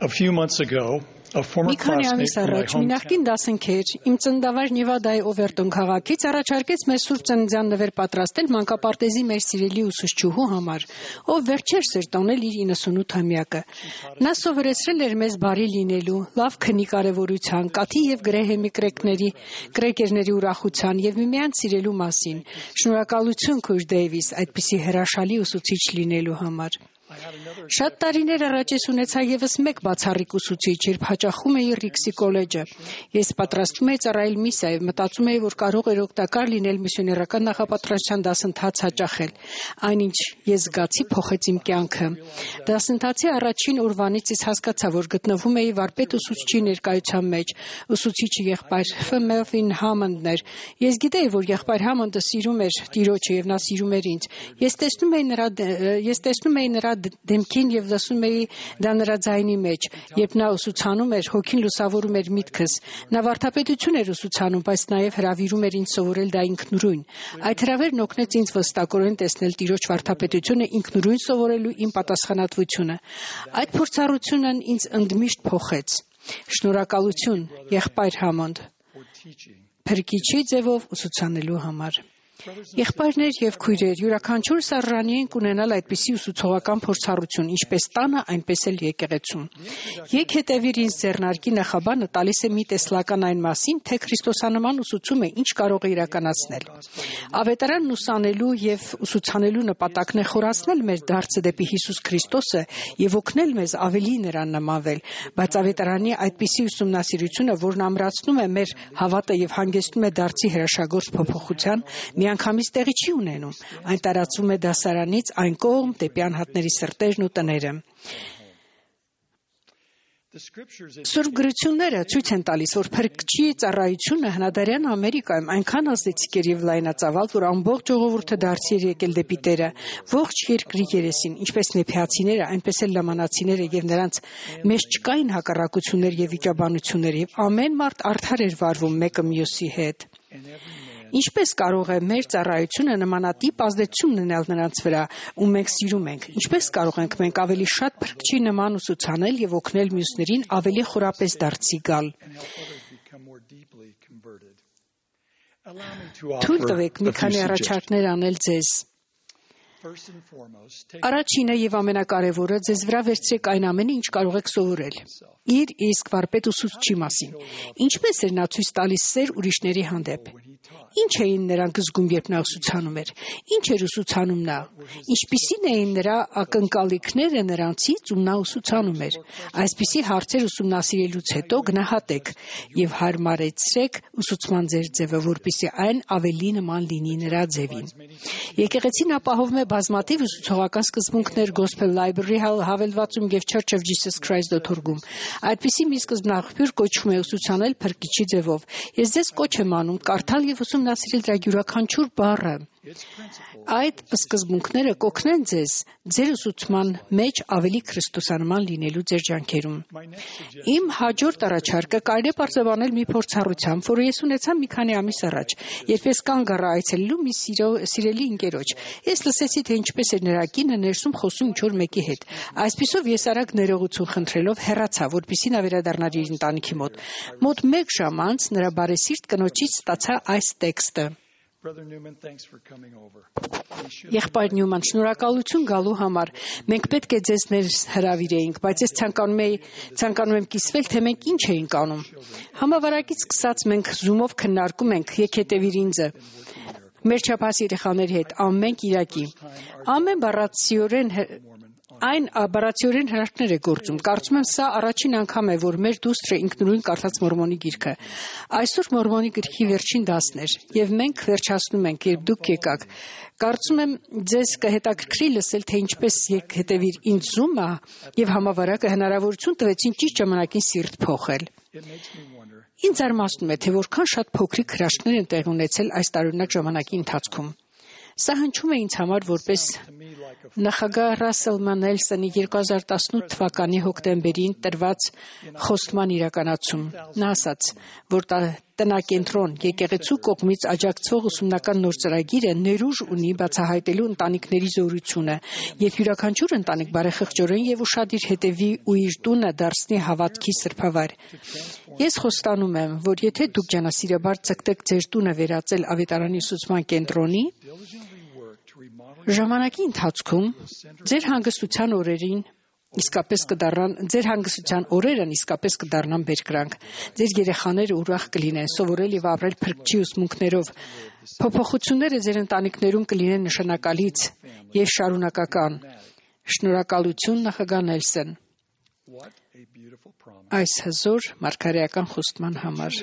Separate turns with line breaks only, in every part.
A few months ago, a former
Մի քանի
classmate
ամիս
from my
առաջ մի նախկին
hometown
դասընկեր իմ ծննդավայր Նևադայի Օվերտոն քաղաքից առաջարկեց մեզ սուրբ ծննդյան նվեր պատրաստել մանկապարտեզի մեր սիրելի ուսուցչուհու համար, ով վերջերս էր տոնել իր 98-ամյակը։ Նա սովորեցրել էր մեզ բարի լինելու, լավ քնի կարևորության, կաթի եւ գրեհեմի կրեկերների ուրախության եւ միմյանց սիրելու մասին։ Շնորհակալություն քույր Դեյվիս այդպիսի հրաշալի ուսուցիչ լինելու համար։ Շատ տարիներ առաջ ես ունեցա եւս մեկ բացառիկ ուսուցիչ, երբ հաճախում էի Ռիքսի կոլեջը։ Ես պատրաստվում էի ծառայել միսիայով, մտածում էի, որ կարող էր օգտակար լինել միսիոներական նախապատրաստության դասընթաց հաճախել։ Այնինչ ես զգացի փոխեց իմ կյանքը։ Դասընթացի առաջին օրվանից ես հասկացա, որ գտնվում էի վարպետ ուսուցչի ներկայության մեջ։ Ուսուցիչը եղբայր Ֆ. Համոնդն էր։ Ես գիտեի, որ եղբայր Համոնդը սիրում էր Տիրոջը եւ նա սիրում էր ինձ։ Ես տեսնում էի նրա դեմքին եւ լսում էի դա նրա ձայնի մեջ, երբ նա ուսուցանում էր, հոգին լուսավորում էր միտքս։ Նա վարդապետություն էր ուսուցանում, բայց նաեւ հրավիրում էր ինձ սովորել դա ինքնուրույն։ Այդ հրավերն օգնեց ինձ վստահորեն տեսնել Տիրոջ վարդապետությունը ինքնուրույն սովորելու իմ պատասխանատվությունը։ Այդ փորձառությունն ինձ ընդմիշտ փոխեց։ Շնորհակալություն, եղբայր Համոնդ, փրկիչի ձևով ուսուցանելու համար։ Եղբայրներ եւ քույրեր, յուրաքանչյուր սարժանի ենք ունենալ այդպիսի ուսուցողական փորձառություն, ինչպես տանը, այնպես էլ եկեղեցում։ Եկ հետևիր ինձ ձեռնարկի նախաբանը տալիս է մի տեսլական այն մասին, թե քրիստոսանման ուսուցումը ինչ կարող է իրականացնել։ Ավետարանն ուսանելու եւ ուսուցանելու նպատակն է խորացնել մեր դարձը դեպի Հիսուս Քրիստոսը եւ օգնել մեզ ավելի նրան նմանվել, բայց ավետարանի այդպիսի ուսումնասիրությունը, որն ամրացնում է մեր հավատը եւ հանգեցնում է դարձի հրաշագործ փոփոխության, միանգամից տեղի չի ունենում, այն տարածվում է դասարանից այն կողմ դեպի անհատների սրտերն ու տները։ Սուրբ գրությունները ցույց են տալիս, որ փրկչի ծառայությունը հնադարյան Ամերիկայում այնքան ազդեցիկ էր եւ լայնածավալ, որ ամբողջ ժողովուրդը դարձի էր եկել դեպի Տերը, ողջ երկրի երեսին, ինչպես նեփիացիները, այնպես էլ լամանացիները եւ նրանց մեջ չկային հակառակություններ եւ վիճաբանություններ եւ ամեն մարդ արդար էր վարվում մեկը մյուսի հետ։ Ինչպես կարող է մեր ծառայությունը նմանատիպ ազդեցություն ունենալ նրանց վրա, ում մենք սիրում ենք։ Ինչպես կարող ենք մենք ավելի շատ փրկչի նման ուսուցանել եւ օգնել մյուսներին ավելի խորապես դարձի գալ։ Թույլ տվեք մի քանի առաջարկներ անել ձեզ։ Առաջինը եւ ամենակարևորը, ձեզ վրա վերցրեք այն ամենը, ինչ կարող եք սովորել։ Իր իսկ վարպետ ուսուցչի մասին։ Ինչպես էր նա ցույց տալիս սեր ուրիշների հանդեպ։ Ինչ էին նրանք զգում, երբ նա ուսուցանում էր։ Ինչ էր ուսուցանում նա։ Ինչպիսին էին նրա ակնկալիքները նրանցից, ում նա ուսուցանում էր։ Այսպիսի հարցեր ուսումնասիրելուց հետո գնահատեք եւ հարմարեցրեք ուսուցման ձեր ձևը, որպեսզի այն ավելի նման լինի նրա ձևին։ Եկեղեցին ապահովում է բազմաթիվ ուսուցողական սկզբունքներ Gospel Library հավելվածում եւ Church of Jesus Christ.org-ում։ Այդպիսի մի սկզբնաղբյուր կոչվում է ուսուցանել փրկիչի ձևով։ Ես ձեզ կոչ եմ անում կարդալ եւ ուսումնասիրել դրա յուրաքանչյուր բառը։ Այդ սկզբունքները կօգնեն ձեզ ձեր ուսուցման մեջ ավելի քրիստոսանման լինելու ձեր ջանքերում։ Իմ հաջորդ առաջարկը կարելի է պարզաբանել մի փորձառությամբ, որը ես ունեցա մի քանի ամիս առաջ, երբ ես կանգ առա այցելելու մի սիրելի ընկերոջ։ Ես լսեցի, թե ինչպես էր նրա կինը ներսում խոսում ինչ-որ մեկի հետ։ Այսպիսով ես արագ ներողություն խնդրելով հեռացա, որպեսզի նա վերադառնար իր ընտանիքի մոտ։ Մոտ 1 ժամ անց նրա բարեսիրտ կնոջից ստացա այս տեքստը. Եղբայր Նյուման, շնորհակալություն գալու համար։ Մենք պետք է ձեզ հրավիրեինք, բայց ես ցանկանում եմ կիսվել, թե մենք ինչ էինք անում։ Համավարակից սկսած մենք Zoom-ով քննարկում ենք, եք հետևիր ինձ։ Մեր չափահաս երեխաների հետ ամեն կիրակի։ Ամեն բառացիորեն հրաշքներ է գործում։ Կարծում եմ սա առաջին անգամ է, որ մեր դուստրը ինքնուրույն կարդաց Մորմոնի գիրքը։ Այսօր Մորմոնի գրքի վերջին դասն էր, եւ մենք վերջացնում ենք, երբ դուք եկաք։ Կարծում եմ ձեզ կհետաքրքրի լսել, թե ինչպես եք հետևիր ինձ Zoom-ը եւ համավարակը հնարավորություն տվեցին ճիշտ ժամանակին սիրտ փոխել։ Ինձ զարմացնում է, թե որքան շատ փոքրիկ հրաշքներ են տեղի ունեցել այս տարօրինակ ժամանակի ընթացքում։ Սա հնչում է ինձ համար որպես Նախագահ Ռասել Մանելսոնի 2018 թվականի հոկտեմբերին տրված խոստման իրականացում։ Նա ասաց, որ տնակենտրոն եկեղեցու կողմից աջակցող ուսումնական նոր ծրագիրը ներուժ ունի բացահայտելու ընտանիքների զորությունը եւ յուրաքանչյուր ընտանիք բարեխղճորեն եւ ուշադիր հետևի ու իր տունը դարձնի հավատքի սրբավայր։ Ես խոստանում եմ, որ եթե դուք ջանասիրաբար ցկտեք ձեր տունը վերածել ավետարանի ուսուցման կենտրոնի, ժամանակի ընթացքում ձեր հանգստության օրերն իսկապես կդառնան բերկրանք։ Ձեր երեխաները ուրախ կլինեն սովորել եւ ապրել փրկչի ուսմունքներով։ Փոփոխությունները ձեր ընտանիքներում կլինեն նշանակալից եւ շարունակական։ Շնորհակալություն նախագահ Նելսոն այս հզոր մարգարեական խոստման համար։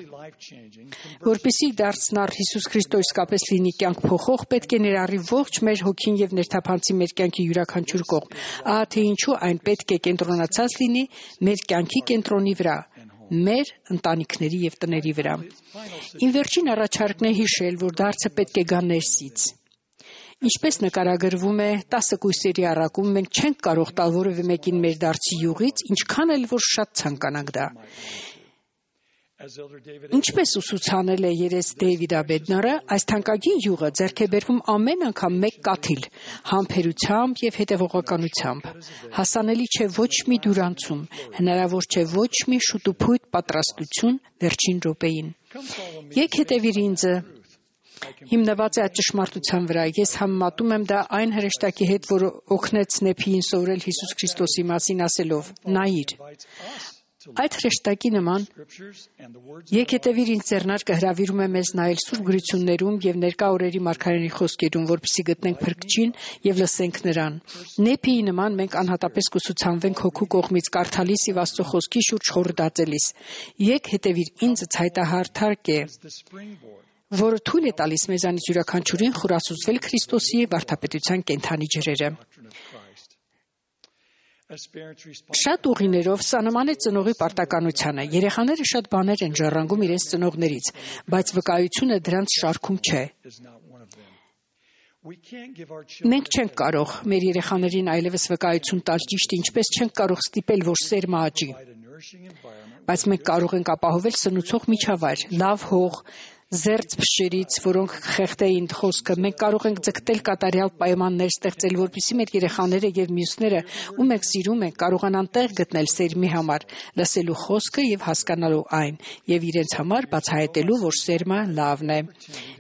Որպեսզի դարձնար Հիսուս Քրիստոս իսկապես լինի կյանք փոխող, պետք է ներառի ողջ մեր հոգին եւ ներթափանցի մեր կյանքի յուրաքանչյուր կողմ։ Ահա թե ինչու այն պետք է կենտրոնացած լինի մեր կյանքի կենտրոնի վրա, մեր ընտանիքների եւ տների վրա։ Իմ վերջին առաջարկն է հիշել, որ դարձը պետք է գա ներսից։ Ինչպես նկարագրվում է 10 կույսերի առակում, մենք չենք կարող տալ որևէ մեկին մեր դարձի յուղից, ինչքան էլ որ շատ ցանկանանք դա։ Ինչպես ուսուցանել է երես Դեյվիդ Աբեդնարը, այս թանկագին յուղը ձեռք է բերվում ամեն անգամ մեկ կաթիլ, համբերությամբ եւ հետեւողականությամբ։ Հասանելի չէ ոչ մի դյուրանցում, հնարավոր չէ ոչ մի շուտուփույթ պատրաստություն վերջին րոպեին։ Եկ հետևիր ինձ հիմնված է այդ ճշմարտության վրա։ Ես համեմատում եմ դա այն հրեշտակի հետ, որը օգնեց Նեփիին սովորել Հիսուս Քրիստոսի մասին ասելով. «Նայիր»։ Այդ հրեշտակի նման «Եկ հետևիր ինձ» ձեռնարկը հրավիրում է մեզ նայել Սուրբ գրություններում եւ ներկա օրերի մարգարեների խոսքերում, որպեսզի գտնենք Փրկչին եւ լսենք նրան։ Նեփիի նման մենք անհատապես կուսուցանվենք հոգու կողմից կարդալիս եւ Աստծո խոսքի շուրջ խորհրդածելիս։ «Եկ հետևիր ինձ» ցայտահարթակ է, որը թույլ է տալիս մեզանից յուրաքանչյուրին խորասուզվել Քրիստոսի վարդապետության կենդանի ջրերը։ Շատ ուղիներով սա նման է ծնողի պարտականությանը։ Երեխաները շատ բաներ են ժառանգում իրենց ծնողներից, բայց վկայությունը դրանց շարքում չէ։ Մենք չենք կարող մեր երեխաներին այլևս վկայություն տալ ճիշտ, ինչպես չենք կարող ստիպել, որ սերմը աճի։ Բայց մենք կարող ենք ապահովել սնուցող միջավայր, լավ հող, զերծ փշերից, որոնք խեղդեին խոսքը, մենք կարող ենք ձգտել կատարյալ պայմաններ ստեղծել, որպեսզի մեր երեխաները եւ մյուսները, ում ենք սիրում ենք, կարողանան տեղ գտնել սերմի համար, լսելու խոսքը եւ հասկանալու այն, եւ իրենց համար բացահայտելու, որ սերմը լավն է։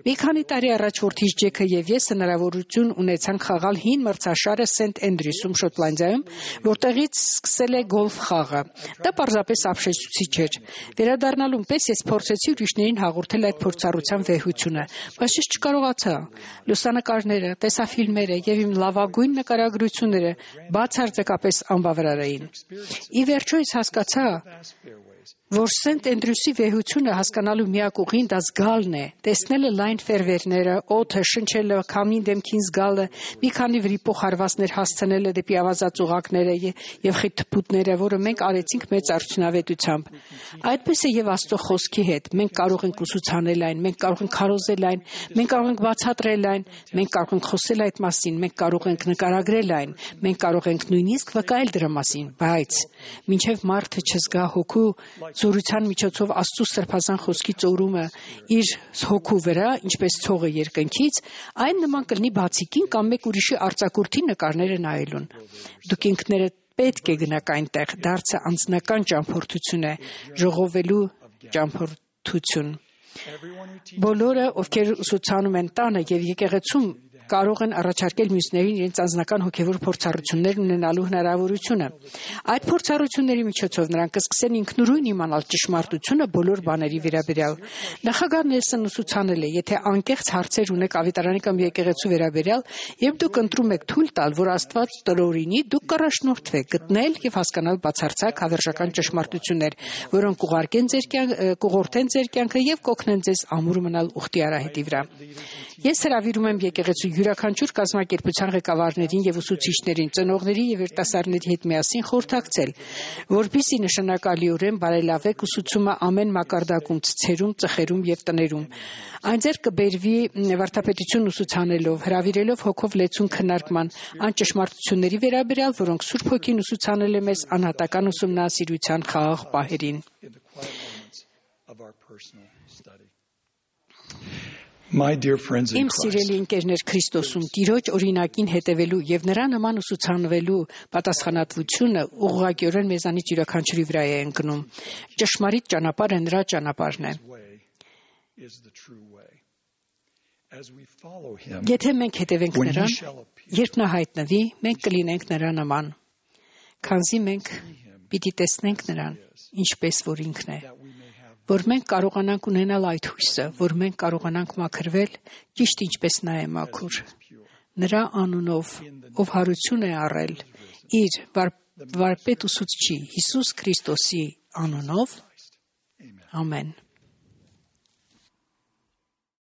Մի քանի տարի առաջ որդիս Ջեքը եւ ես հնարավորություն ունեցանք խաղալ հին մրցաշարը Սենթ Էնդրյուսում, Շոտլանդիայում, որտեղից սկսել է գոլֆ խաղը։ Դա պարզապես ապշեցուցիչ էր։ Վերադառնալուն պես ես փորձեցի ուրիշներին հաղորդել այդ փորձառության վեհությունը, բայց ես չկարողացա։ Լուսանկարները, տեսաֆիլմերը եւ իմ լավագույն նկարագրությունները բացարձակապես անբավարար էին։ Ի վերջո ես հասկացա, որ Սենթ Էնդրյուսի վեհությունը հասկանալու միակ ուղին դա զգալն է, տեսնելը լայն ֆերվերները, օդը, շնչելը, քամին դեմքին զգալը, մի քանի վրիպող հարվածներ հասցնելը դեպի ավազած ուղակները եւ խիթփուտները, որը մենք արեցինք մեծ արդյունավետությամբ։ Այդպես է եւ Աստծո խոսքի հետ։ Մենք կարող ենք ուսուցանել այն, մենք կարող ենք քարոզել այն, մենք կարող ենք բացատրել այն, մենք կարող ենք խոսել այդ մասին, մենք կարող ենք նկարագրել այն, մենք կարող ենք նույնիսկ վկայել դրա մասին, բայց մինչեւ մարդը չզգա հոգու զորության միջոցով Աստծո սրբազան խոսքի ծորումը իր հոգու վրա, ինչպես ցողը երկնքից, այն նման կլինի բացիկին կամ մեկ ուրիշի արձակուրդի նկարները նայելուն։ Դուք ինքներդ պետք է գնաք այնտեղ, դարձը անձնական ճամփորդություն է, ժողովելու ճամփորդություն։ Բոլորը, ովքեր ուսուցանում են տանը եւ եկեղեցում, կարող են առաջարկել մյուսներին իրենց անձնական հոգևոր փորձառություններ ունենալու հնարավորությունը։ Այդ փորձառությունների միջոցով նրանք կսկսեն ինքնուրույն իմանալ ճշմարտությունը բոլոր բաների վերաբերյալ։ Նախագահ Նելսոնն ուսուցանել է, եթե անկեղծ հարցեր ունեք ավետարանի կամ եկեղեցու վերաբերյալ, եւ դուք ընտրում եք թույլ տալ, որ Աստված տրորինի, դուք կառաջնորդվեք գտնել եւ հասկանալ բացարձակ հավերժական ճշմարտություններ, որոնք կուղղորդեն ձեր կյանքը եւ կօգնեն ձեզ ամուր մնալ ուխտի արահետի վրա։ Ես հրավիրում եմ եկեղեցու յուրաքանչյուր կազմակերպության ղեկավարներին եւ ուսուցիչներին, ծնողների եւ երիտասարդների հետ միասին խորհրդակցել, որպեսզի նշանակալիորեն բարելավեք ուսուցումը ամեն մակարդակում, ցուցերում, ծխերում եւ տներում։ Այն ձեռք կբերվի վարդապետություն ուսուցանելով, հրավիրելով հոգով լեցուն քննարկման, այն ճշմարտությունների վերաբերյալ, որոնք Սուրբ Հոգին ուսուցանել է մեզ անհատական ուսումնասիրության խաղաղ պահերին։ Իմ սիրելի ընկերներ Քրիստոսում, Տիրոջ օրինակին հետևելու եւ նրա նման ուսուցանվելու պատասխանատվությունը ուղղակիորեն մեզանից յուրաքանչյուրի վրա է ընկնում։ Ճշմարիտ ճանապարհը նրա ճանապարհն է։ Եթե մենք հետևենք նրան, երբ նա հայտնվի, մենք կլինենք նրա նման, քանզի մենք պիտի տեսնենք նրան, ինչպես որ ինքն է, որ մենք կարողանանք ունենալ այդ հույսը, որ մենք կարողանանք մաքրվել, ճիշտ ինչպես նա է մաքուր, նրա անունով, ով հարություն է առել իր վարպետ ուսուցչի Հիսուս Քրիստոսի անունով, ամեն։